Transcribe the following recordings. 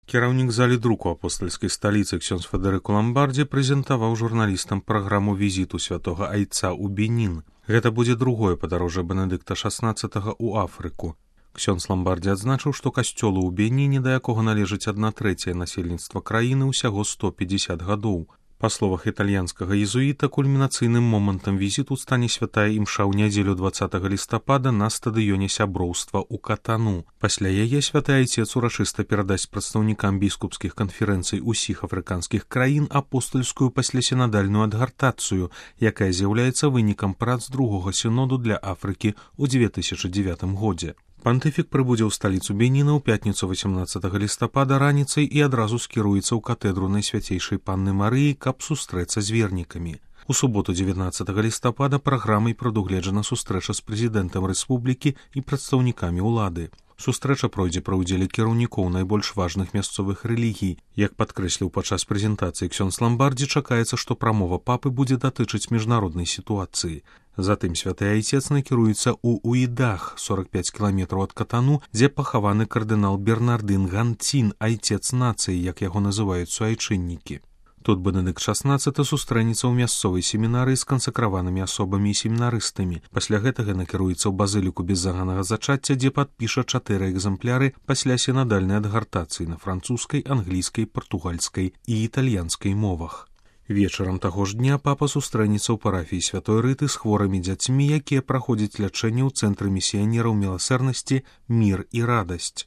Кіраўнік залі друку апостальскай сталіцы ксёндз Федэрыку Ламбардзі прэзентаваў журналістам праграму візіту святога айца ў Бенін. Гэта будзе другое падарожжа Бенедыкта XVI ў Афрыку. Ксёндз Ламбардзі адзначыў, што касцёлу ў Беніне, да якога належыць 1/3 насельніцтва краіны, усяго 150 гадоў. Па словах італьянскага езуіта, кульмінацыйным момантам візіту стане святая імша ў нядзелю 20 лістапада на стадыёне сяброўства ў Катану. Пасля яе святы айцец урачыста перадасць прадстаўнікам біскупскіх канферэнцый усіх афрыканскіх краін апостальскую паслясінадальную адгартацыю, якая з'яўляецца вынікам прац другога сіноду для Афрыкі ў 2009 годзе. Пантыфік прыбудзе ў сталіцу Беніна ў пятніцу 18 лістапада раніцай і адразу скіруецца ў катэдру Найсвяцейшай Панны Марыі, каб сустрэцца з вернікамі. У суботу 19 лістапада праграмай прадугледжана сустрэча з прэзідэнтам рэспублікі і прадстаўнікамі ўлады. Сустрэча пройдзе пры ўдзеле кіраўнікоў найбольш важных мясцовых рэлігій. Як падкрэсліў падчас прэзентацыі ксёндз Ламбардзі, чакаецца, што прамова папы будзе датычыць міжнароднай сітуацыі. Затым святы айцец накіруецца ў Уідах, 45 кіламетраў ад Катану, дзе пахаваны кардынал Бернардын Ганцін, айцец нацыі, як яго называюць суайчыннікі. Тут Бенедыкт XVI сустрэнецца ў мясцовай семінарыі з кансакраванымі асобамі і семінарыстамі. Пасля гэтага накіруецца ў базыліку беззаганага зачацця, дзе падпіша 4 экземпляры пасля сінадальнай адгартацыі на французскай, англійскай, партугальскай і італьянскай мовах. Вечарам таго ж дня папа сустрэнецца ў парафіі святой Рыты з хворымі дзяцьмі, якія праходзяць лячэнне ў цэнтры місіянераў міласэрнасці «Мір і радасць».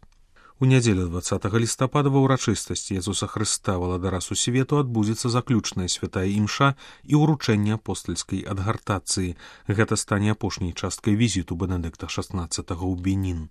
У нядзелю 20 лістапада ва ўрачыстасці Езуса Хрыста валадара сусвету адбудзецца заключная святая імша і ўручэнне апостальскай адгартацыі. Гэта стане апошняй часткай візіту Бенедыкта XVI ў Бенін.